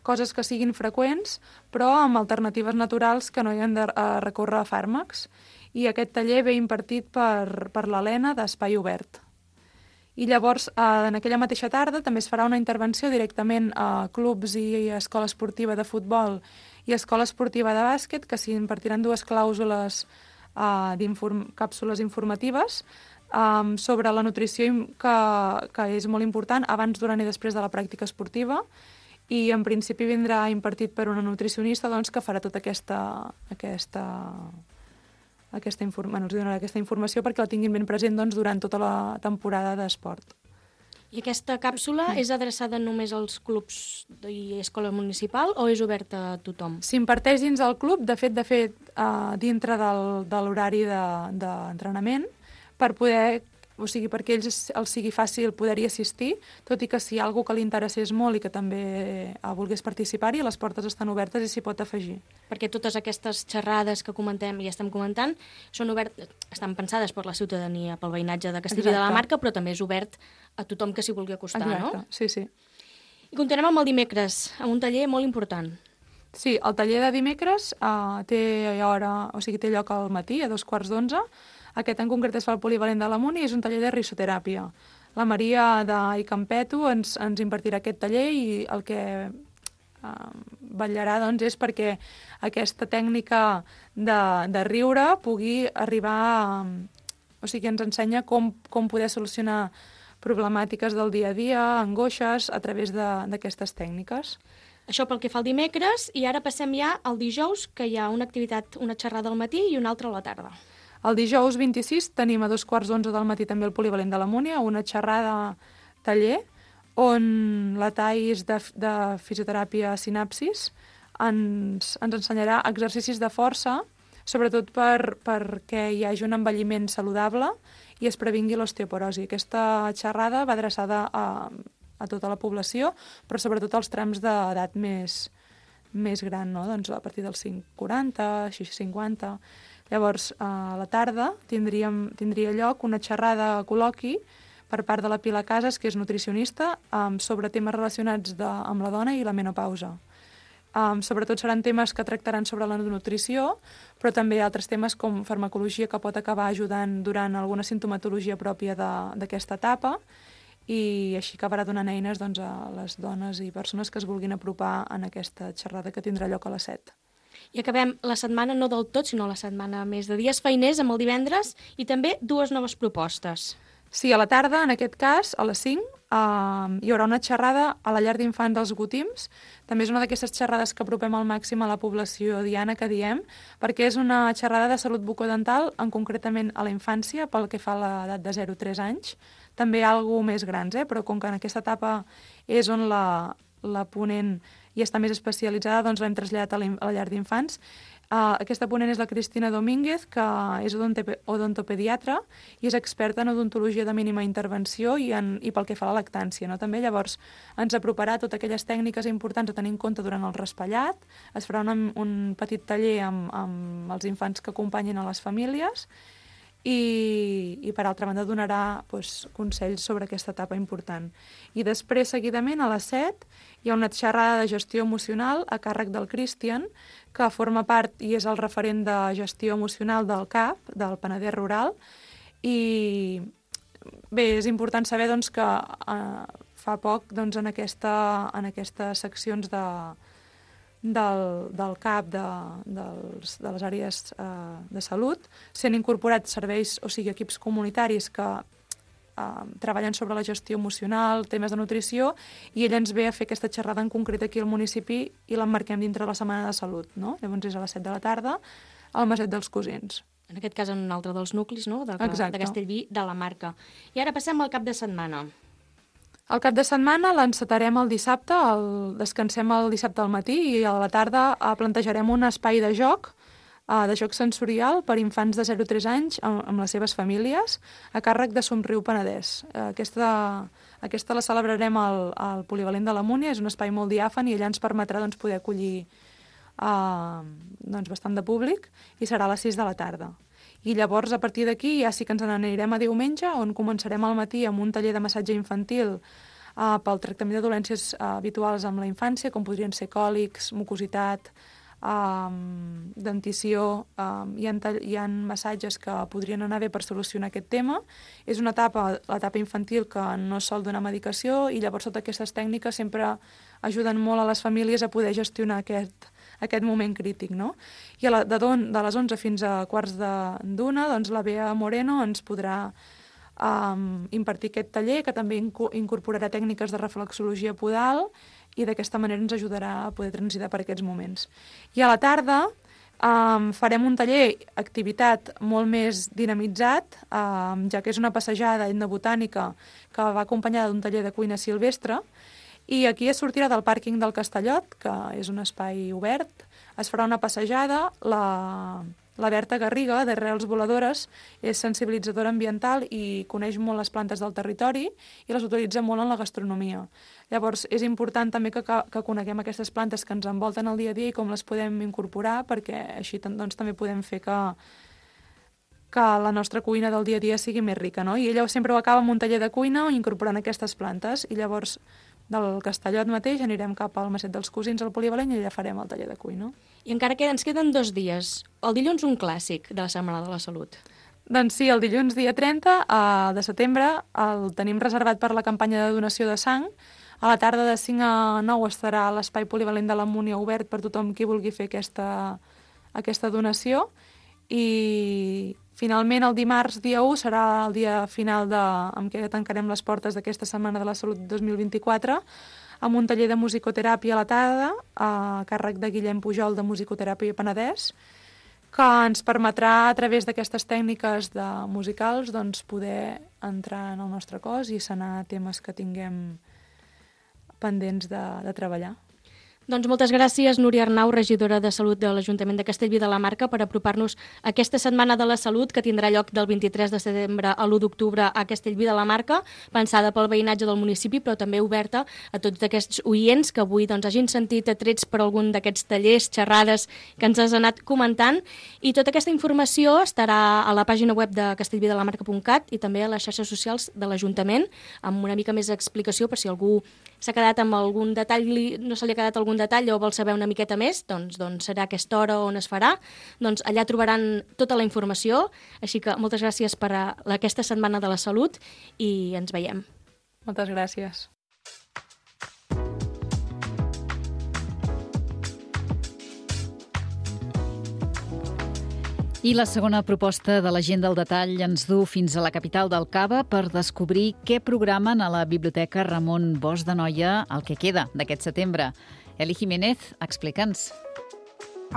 coses que siguin freqüents, però amb alternatives naturals que no hi han de uh, recórrer a fàrmacs. I aquest taller ve impartit per, per l'Helena d'Espai Obert. I llavors, eh, en aquella mateixa tarda, també es farà una intervenció directament a clubs i a escola esportiva de futbol i a escola esportiva de bàsquet, que s'hi impartiran dues clàusules, eh, d'inform càpsules informatives eh, sobre la nutrició, que, que és molt important abans, durant i després de la pràctica esportiva, i en principi vindrà impartit per una nutricionista, doncs, que farà tota aquesta... aquesta Aquesta, inform... bueno, els donarà aquesta informació perquè la tinguin ben present, doncs, durant tota la temporada d'esport. I aquesta càpsula mm. és adreçada només als clubs i escola municipal o és oberta a tothom? S'imparteix dins del club, de fet, de fet uh, dintre del, de l'horari d'entrenament, de, per poder, o sigui, perquè ells els sigui fàcil poder-hi assistir, tot i que si hi ha algú que li interessés molt i que també uh, volgués participar-hi, les portes estan obertes i s'hi pot afegir. Perquè totes aquestes xerrades que comentem i estem comentant són obert, estan pensades per la ciutadania, pel veïnatge de Castellví de la Marca, però també és obert a tothom que s'hi vulgui acostar, Exacte. No? Sí, sí. I continuem amb el dimecres, amb un taller molt important. Sí, el taller de dimecres uh, té hora, o sigui, té lloc al matí, a dos quarts d'onze. Aquest en concret es fa al polivalent de l'Amunt i és un taller de risoteràpia. La Maria d'Icampeto ens, ens impartirà aquest taller i el que uh, vetllarà, doncs, és perquè aquesta tècnica de, de riure pugui arribar a... O sigui, ens ensenya com, com poder solucionar problemàtiques del dia a dia, angoixes, a través d'aquestes tècniques. Això pel que fa al dimecres, i ara passem ja al dijous, que hi ha una activitat, una xerrada al matí i una altra a la tarda. El dijous vint-i-sis tenim a dos quarts d'onze del matí també el polivalent de la Múnia, una xerrada taller, on la Thais de, de fisioteràpia Sinapsis ens, ens ensenyarà exercicis de força, sobretot per, perquè hi hagi un envelliment saludable i es previngui l'osteoporosi. Aquesta xerrada va adreçada a, a tota la població, però sobretot als trams d'edat més, més gran, no? Doncs a partir dels cinc quaranta, cinquanta... Llavors, a la tarda tindríem, tindria lloc una xerrada col·loqui per part de la Pilar Casas, que és nutricionista, um, sobre temes relacionats de, amb la dona i la menopausa. Um, sobretot seran temes que tractaran sobre la nutrició, però també altres temes com farmacologia, que pot acabar ajudant durant alguna sintomatologia pròpia d'aquesta etapa, i així acabarà donant eines doncs, a les dones i persones que es vulguin apropar en aquesta xerrada que tindrà lloc a les set. I acabem la setmana, no del tot, sinó la setmana més de dies feiners amb el divendres i també dues noves propostes. Sí, a la tarda, en aquest cas, a les cinc, eh, hi haurà una xerrada a la llar d'infants dels Gotims. També és una d'aquestes xerrades que apropem al màxim a la població diana, que diem, perquè és una xerrada de salut bucodental, en concretament a la infància, pel que fa a l'edat de zero a tres anys. També algo més grans, eh? Però com que en aquesta etapa és on la, la ponent i està més especialitzada, doncs l'hem traslladat a la, a la llar d'infants. Uh, aquesta ponent és la Cristina Domínguez, que és odontopediatra i és experta en odontologia de mínima intervenció i, en, i pel que fa a la lactància. No? També llavors ens aproparà totes aquelles tècniques importants a tenir en compte durant el raspallat. Es farà un, un petit taller amb, amb els infants que acompanyin a les famílies i, i per altra banda donarà doncs, consells sobre aquesta etapa important. I després, seguidament, a les set, hi ha una xerrada de gestió emocional a càrrec del Christian, que forma part i és el referent de gestió emocional del C A P, del Penedès Rural, i bé, és important saber doncs, que eh, fa poc doncs, en, aquesta, en aquestes seccions de, del, del C A P de, dels, de les àrees eh, de salut s'han incorporat serveis, o sigui, equips comunitaris que Uh, treballen sobre la gestió emocional, temes de nutrició, i ell ens ve a fer aquesta xerrada en concret aquí al municipi i l'emmarquem dintre la Setmana de Salut, no? Llavors és a les set de la tarda al Maset dels Cosins. En aquest cas en un altre dels nuclis, no?, de, de Castellví, de la Marca. I ara passem al cap de setmana. El cap de setmana l'encetarem el dissabte, el, descansem el dissabte al matí i a la tarda uh, plantejarem un espai de joc de joc sensorial per infants de zero a tres anys amb, amb les seves famílies a càrrec de Somriu Penedès. Aquesta, aquesta la celebrarem al, al Polivalent de la Múnia, és un espai molt diàfan i allà ens permetrà doncs, poder acollir uh, doncs, bastant de públic i serà a les sis de la tarda. I llavors, a partir d'aquí, ja sí que ens n'anirem a diumenge, on començarem al matí amb un taller de massatge infantil uh, pel tractament de dolències uh, habituals amb la infància, com podrien ser còlics, mucositat, Um, dentició, um, hi, ha, hi ha massatges que podrien anar bé per solucionar aquest tema. És una etapa, l'etapa infantil, que no es sol donar medicació i llavors totes aquestes tècniques sempre ajuden molt a les famílies a poder gestionar aquest, aquest moment crític, no? I a la, de, don, de les onze fins a quarts d'una, doncs la Bea Moreno ens podrà um, impartir aquest taller, que també incorporarà tècniques de reflexologia podal, i d'aquesta manera ens ajudarà a poder transitar per aquests moments. I a la tarda um, farem un taller, activitat molt més dinamitzat, um, ja que és una passejada etnobotànica que va acompanyada d'un taller de cuina silvestre, i aquí es sortirà del pàrquing del Castellot, que és un espai obert, es farà una passejada, la... La Berta Garriga, d'Arrels Voladores, és sensibilitzadora ambiental i coneix molt les plantes del territori i les utilitza molt en la gastronomia. Llavors, és important també que, que coneguem aquestes plantes que ens envolten el dia a dia i com les podem incorporar, perquè així doncs, també podem fer que, que la nostra cuina del dia a dia sigui més rica, no? I ella sempre ho acaba amb un taller de cuina incorporant aquestes plantes, i llavors del Castellot mateix anirem cap al Maset dels Cosins, al Polivalent, i allà farem el taller de cuina. I encara que ens queden dos dies. El dilluns un clàssic de la Setmana de la Salut. Doncs sí, el dilluns dia trenta de setembre el tenim reservat per la campanya de donació de sang. A la tarda de cinc a nou estarà l'Espai Polivalent de la Múnia obert per tothom qui vulgui fer aquesta, aquesta donació. I finalment el dimarts dia u serà el dia final de, amb què tancarem les portes d'aquesta Setmana de la Salut dos mil vint-i-quatre, amb un taller de musicoteràpia a la tarda a càrrec de Guillem Pujol de Musicoteràpia Penedès, que ens permetrà a través d'aquestes tècniques de musicals doncs, poder entrar en el nostre cos i sanar temes que tinguem pendents de, de treballar. Doncs moltes gràcies, Núria Arnau, regidora de Salut de l'Ajuntament de Castellví de la Marca, per apropar-nos a aquesta Setmana de la Salut que tindrà lloc del vint-i-tres de setembre a l'u d'octubre a Castellví de la Marca, pensada pel veïnatge del municipi, però també oberta a tots aquests oients que avui doncs, hagin sentit atrets per algun d'aquests tallers, xerrades que ens has anat comentant. I tota aquesta informació estarà a la pàgina web de castellví de la marca punt cat i també a les xarxes socials de l'Ajuntament, amb una mica més d'explicació per si algú s'ha quedat amb algun detall, no se li ha quedat algun detall o vol saber una miqueta més, doncs, doncs serà aquesta hora on es farà. Doncs allà trobaran tota la informació, així que moltes gràcies per a aquesta Setmana de la Salut i ens veiem. Moltes gràcies. I la segona proposta de la gent del detall ens du fins a la capital del Cava per descobrir què programen a la Biblioteca Ramon Bosch d'Anoia el que queda d'aquest setembre. Eli Jiménez, explica'ns.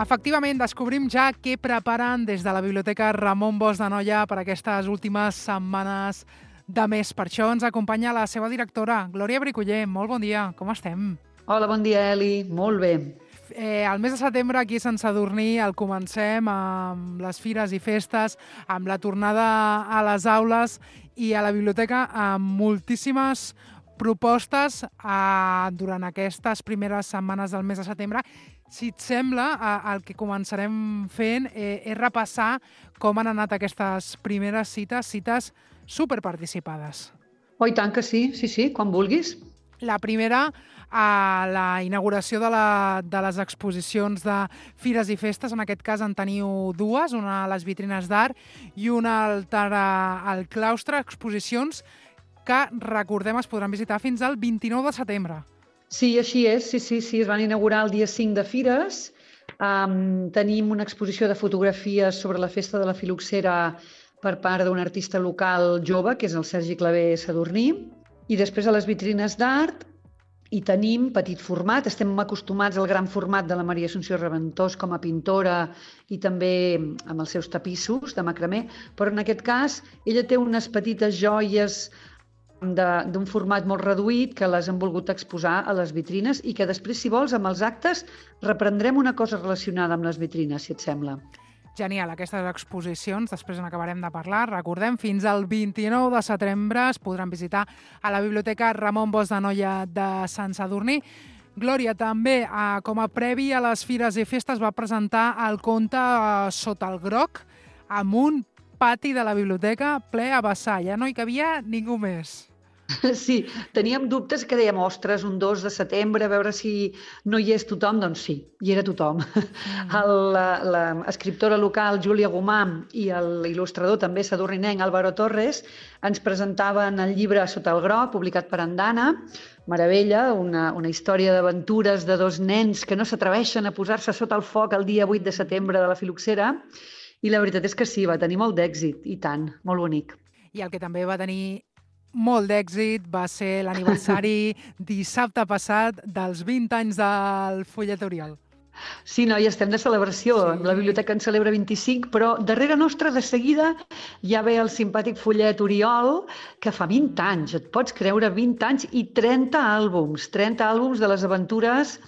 Efectivament, descobrim ja què preparen des de la Biblioteca Ramon Bosch d'Anoia per aquestes últimes setmanes de mes. Per això ens acompanya la seva directora, Glòria Bricoller. Molt bon dia, com estem? Hola, bon dia, Eli. Molt bé. Eh, el mes de setembre aquí a Sant Sadurní el comencem amb les fires i festes, amb la tornada a les aules i a la biblioteca amb moltíssimes propostes eh, durant aquestes primeres setmanes del mes de setembre. Si et sembla, eh, el que començarem fent eh, és repassar com han anat aquestes primeres cites, cites superparticipades. Oh, i tant que sí, sí, sí, quan vulguis. La primera, a la inauguració de, la, de les exposicions de fires i festes. En aquest cas en teniu dues, una a les vitrines d'art i una altra al claustre, exposicions que, recordem, es podran visitar fins al vint-i-nou de setembre. Sí, així és, sí, sí, sí, es van inaugurar el dia cinc de Fires. Um, tenim una exposició de fotografies sobre la festa de la filoxera per part d'un artista local jove, que és el Sergi Clavé Sadurní. I després a les vitrines d'art hi tenim petit format. Estem acostumats al gran format de la Maria Assumpció Reventós com a pintora i també amb els seus tapissos de macramé, però en aquest cas ella té unes petites joies d'un format molt reduït que les hem volgut exposar a les vitrines i que després, si vols, amb els actes reprendrem una cosa relacionada amb les vitrines, si et sembla. Genial, aquestes exposicions, després en acabarem de parlar. Recordem, fins al vint-i-nou de setembre es podran visitar a la Biblioteca Ramon Bosch d'Anoia de Sant Sadurní. Glòria, també, eh, com a previ a les fires i festes, va presentar el conte eh, Sota el groc, amb un pati de la biblioteca ple a vessar. Ja no hi cabia ningú més. Sí, teníem dubtes que dèiem, ostres, un dos de setembre, a veure si no hi és tothom. Doncs sí, hi era tothom. Mm. L'escriptora local Júlia Gomà i l'il·lustrador també sadurninenc Álvaro Torres ens presentaven el llibre Sota el groc, publicat per Andana. Meravella, una, una història d'aventures de dos nens que no s'atreveixen a posar-se sota el foc el dia vuit de setembre de la filoxera. I la veritat és que sí, va tenir molt d'èxit, i tant, molt bonic. I el que també va tenir molt d'èxit va ser l'aniversari dissabte passat dels vint anys del Follet Oriol. Sí, no, ja estem de celebració. Sí. La biblioteca en celebra vint-i-cinc, però darrere nostra de seguida ja ve el simpàtic Follet Oriol, que fa vint anys, et pots creure, vint anys i trenta àlbums, trenta àlbums de les aventures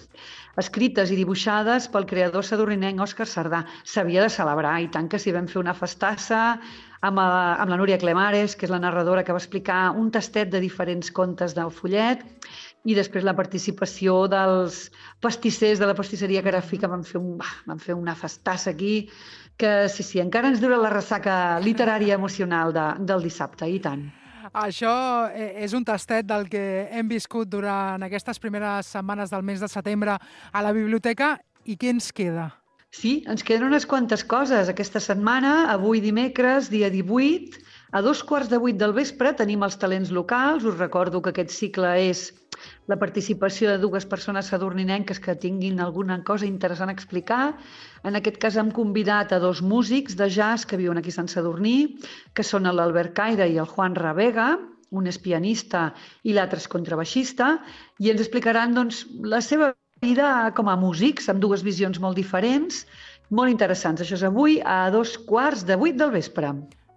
escrites i dibuixades pel creador sadurninenc Òscar Sardà. S'havia de celebrar, i tant que s'hi vam fer una festassa amb, la, amb la Núria Clemares, que és la narradora que va explicar un tastet de diferents contes del Follet, i després la participació dels pastissers de la pastisseria Carafí, que van fer, un, van fer una festassa aquí, que sí, sí, encara ens dura la ressaca literària emocional de, del dissabte, i tant. Això és un tastet del que hem viscut durant aquestes primeres setmanes del mes de setembre a la biblioteca. I què ens queda? Sí, ens queden unes quantes coses. Aquesta setmana, avui dimecres, dia divuit, a dos quarts de vuit del vespre tenim els talents locals. Us recordo que aquest cicle és la participació de dues persones sadurninenques que tinguin alguna cosa interessant a explicar. En aquest cas hem convidat a dos músics de jazz que viuen aquí a Sant Sadurní, que són l'Albert Caire i el Juan Ravega, un és pianista i l'altre és contrabaixista, i ens explicaran doncs, la seva vida com a músics, amb dues visions molt diferents, molt interessants. Això és avui a dos quarts de vuit del vespre.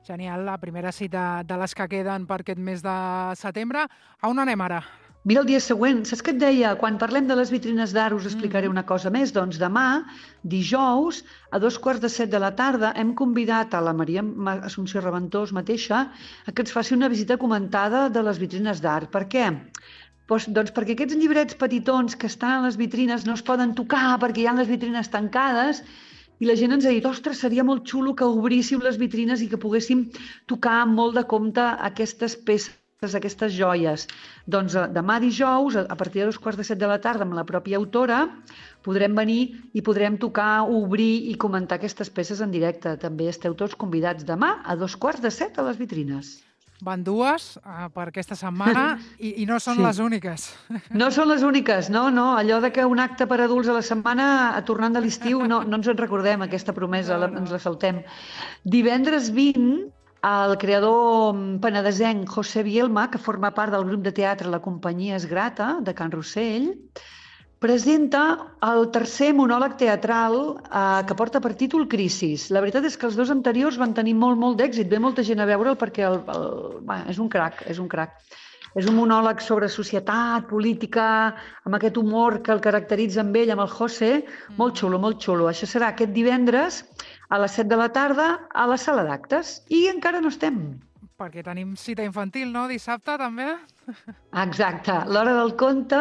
Genial, la primera cita de les que queden per aquest mes de setembre. A on anem ara? Mira el dia següent, saps què et deia? Quan parlem de les vitrines d'art us explicaré una cosa més. Doncs demà, dijous, a dos quarts de set de la tarda, hem convidat a la Maria Assumpció Reventós mateixa a que ens faci una visita comentada de les vitrines d'art. Per què? Doncs, doncs perquè aquests llibrets petitons que estan a les vitrines no es poden tocar perquè hi ha les vitrines tancades i la gent ens ha dit, ostres, seria molt xulo que obríssiu les vitrines i que poguéssim tocar amb molt de compte aquestes peces, aquestes joies. Doncs demà dijous, a partir de dos quarts de set de la tarda, amb la pròpia autora, podrem venir i podrem tocar, obrir i comentar aquestes peces en directe. També esteu tots convidats demà a dos quarts de set a les vitrines. Van dues uh, per aquesta setmana i, i no són sí. les úniques. No són les úniques, no, no. Allò de que un acte per adults a la setmana, tornant de l'estiu, no, no ens en recordem, aquesta promesa, no, no. La, ens la saltem. Divendres vint, el creador penedesenc José Bielma, que forma part del grup de teatre La Companyia es Grata, de Can Rossell, presenta el tercer monòleg teatral eh, que porta per títol Crisis. La veritat és que els dos anteriors van tenir molt, molt d'èxit. Ve molta gent a veure'l perquè el, el, bueno, és un crac, és un crac. És un monòleg sobre societat, política, amb aquest humor que el caracteritza amb ell, amb el José. Molt xulo, molt xulo. Això serà aquest divendres a les set de la tarda a la sala d'actes. I encara no estem. Perquè tenim cita infantil, no? Dissabte, també? Exacte. L'Hora del Conte,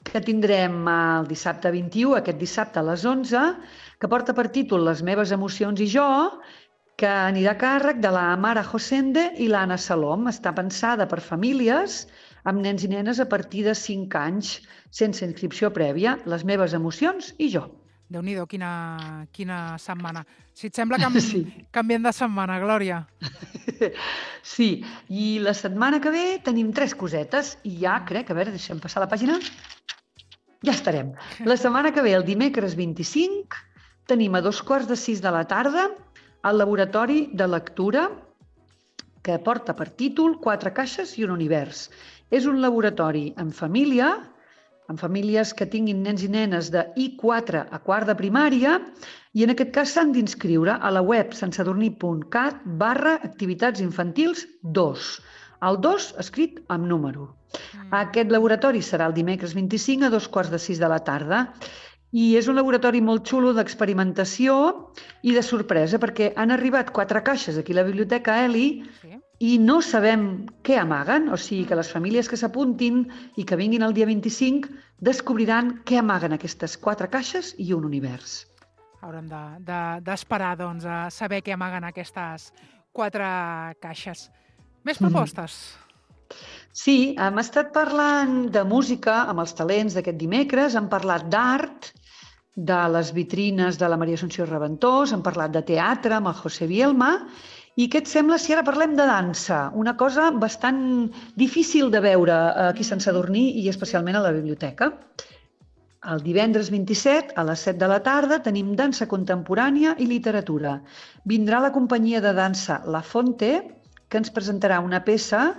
que tindrem el dissabte vint-i-u, aquest dissabte a les onze, que porta per títol Les meves emocions i jo, que anirà a càrrec de la Mara Josende i l'Anna Salom. Està pensada per famílies amb nens i nenes a partir de cinc anys, sense inscripció prèvia. Les meves emocions i jo. Déu-n'hi-do, quina, quina setmana. Si et sembla, canvi, sí. canviem de setmana, Glòria. Sí, i la setmana que ve tenim tres cosetes i ja crec, a veure, deixem passar la pàgina. Ja estarem. La setmana que ve, el dimecres vint-i-cinc, tenim a dos quarts de sis de la tarda el laboratori de lectura que porta per títol Quatre caixes i un univers. És un laboratori en família, en famílies que tinguin nens i nenes de I quatre a quart de primària, i en aquest cas s'han d'inscriure a la web santsadurní.cat barra activitats infantils dos. El dos escrit amb número. Mm. Aquest laboratori serà el dimecres vint-i-cinc a dos quarts de sis de la tarda i és un laboratori molt xulo d'experimentació i de sorpresa perquè han arribat quatre caixes aquí a la Biblioteca Eli sí. i no sabem què amaguen, o sigui que les famílies que s'apuntin i que vinguin el dia vint-i-cinc descobriran què amaguen aquestes quatre caixes i un univers. Haurem d'esperar de, de, doncs, a saber què amaguen aquestes quatre caixes. Més propostes? Mm. Sí, hem estat parlant de música amb els talents d'aquest dimecres, hem parlat d'art, de les vitrines de la Maria Assumpció Reventós, hem parlat de teatre amb el José Bielma. I què et sembla si ara parlem de dansa? Una cosa bastant difícil de veure aquí a Sant Sadurní i especialment a la biblioteca. El divendres vint-i-set, a les set de la tarda, tenim dansa contemporània i literatura. Vindrà la companyia de dansa La Fonte, que ens presentarà una peça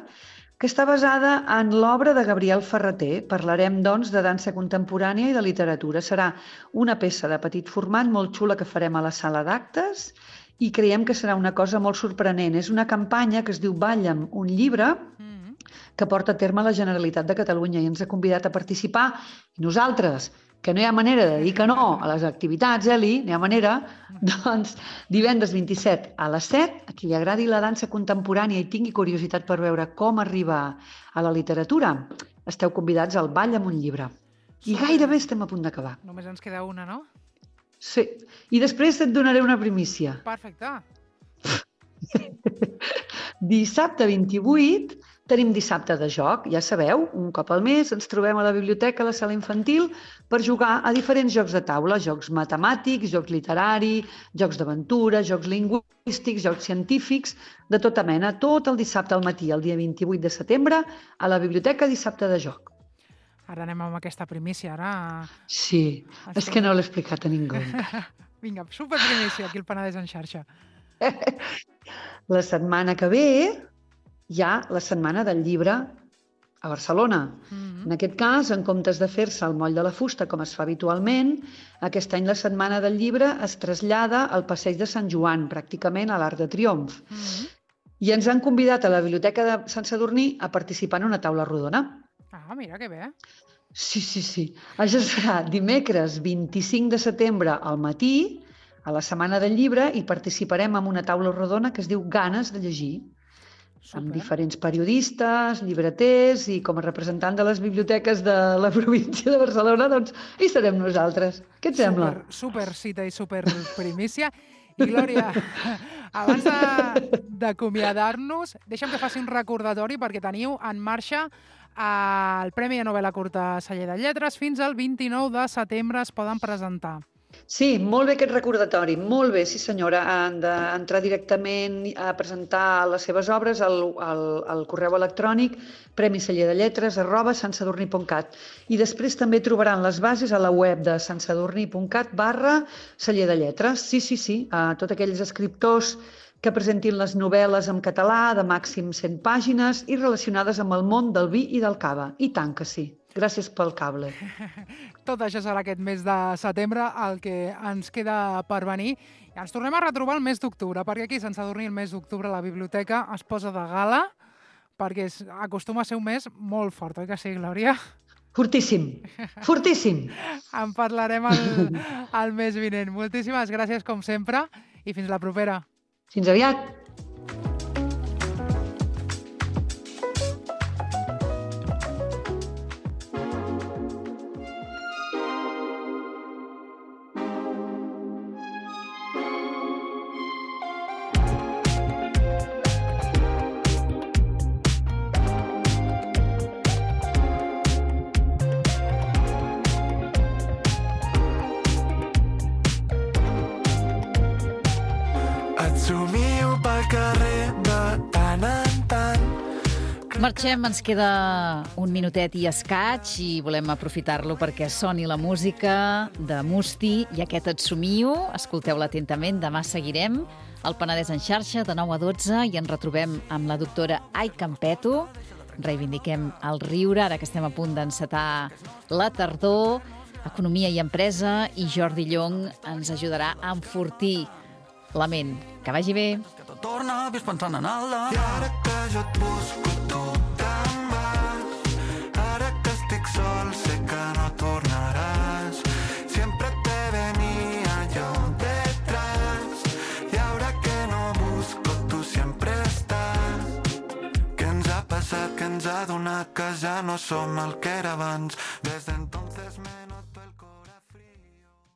que està basada en l'obra de Gabriel Ferrater. Parlarem, doncs, de dansa contemporània i de literatura. Serà una peça de petit format molt xula que farem a la sala d'actes i creiem que serà una cosa molt sorprenent. És una campanya que es diu Balla'm un llibre, que porta a terme la Generalitat de Catalunya i ens ha convidat a participar. I nosaltres, que no hi ha manera de dir que no a les activitats, Eli, no hi ha manera, doncs divendres vint-i-set a les set, a qui li agradi la dansa contemporània i tingui curiositat per veure com arriba a la literatura, esteu convidats al Balla'm un llibre. I gairebé estem a punt d'acabar. Només ens queda una, no? Sí. I després et donaré una primícia. Perfecte. Dissabte vint-i-vuit tenim dissabte de joc, ja sabeu, un cop al mes ens trobem a la biblioteca, a la sala infantil, per jugar a diferents jocs de taula, jocs matemàtics, jocs literaris, jocs d'aventura, jocs lingüístics, jocs científics, de tota mena, tot el dissabte al matí, el dia vint-i-vuit de setembre, a la biblioteca dissabte de joc. Ara anem amb aquesta primícia, ara... Sí, és que no l'he explicat a ningú. Vinga, superprimícia, aquí al Penedès en xarxa. La setmana que ve hi ha la Setmana del Llibre a Barcelona. Mm-hmm. En aquest cas, en comptes de fer-se al Moll de la Fusta, com es fa habitualment, aquest any la Setmana del Llibre es trasllada al Passeig de Sant Joan, pràcticament a l'Arc de Triomf. Mm-hmm. I ens han convidat a la Biblioteca de Sant Sadurní a participar en una taula rodona. Ah. Ah, mira, que bé. Sí, sí, sí. Això serà dimecres vint-i-cinc de setembre al matí, a la Setmana del Llibre, i participarem en una taula rodona que es diu Ganes de llegir, Super. amb diferents periodistes, llibreters, i com a representant de les biblioteques de la província de Barcelona, doncs hi serem nosaltres. Què et sembla? Super, super cita i super primícia. I Glòria, abans de- d'acomiadar-nos, deixa'm que faci un recordatori perquè teniu en marxa el Premi de Novel·la Curta Celler de Lletres. Fins al vint-i-nou de setembre es poden presentar. Sí, molt bé aquest recordatori, molt bé, sí senyora. Han d'entrar directament a presentar les seves obres al, al, al correu electrònic premicellerdelletres arroba santsadurní punt cat, i després també trobaran les bases a la web de santsadurní punt cat barra celler de lletres. Sí, sí, sí, a tots aquells escriptors que presentin les novel·les en català de màxim cent pàgines i relacionades amb el món del vi i del cava. I tant que sí. Gràcies pel cable. Tot això serà aquest mes de setembre, el que ens queda per venir. I ens tornem a retrobar el mes d'octubre, perquè aquí a Sant Sadurní el mes d'octubre la biblioteca es posa de gala, perquè és, acostuma a ser un mes molt fort, oi que sí, Glòria? Fortíssim, fortíssim. En parlarem el, el mes vinent. Moltíssimes gràcies, com sempre, i fins la propera. Fins aviat. Et somio pel carrer de tant en tant. Marxem, ens queda un minutet i escaig i volem aprofitar-lo perquè soni la música de Musti i aquest Et somio. Escolteu-la atentament, demà seguirem al Penedès en xarxa de nou a dotze i ens retrobem amb la doctora Ai Campeto. Reivindiquem el riure, ara que estem a punt d'encetar la tardor, economia i empresa, i Jordi Llong ens ajudarà a enfortir la ment. Que vagi bé. Torna, vis pensant en el demà. I ara que jo et busco, tu te'n vas. Ara que estic sol, sé que no tornaràs. Siempre te venía yo detrás. Y ahora que no busco, tú siempre estás. Què ens ha passat, què ens ha donat, que ja no som el que era abans. Des d'entonces me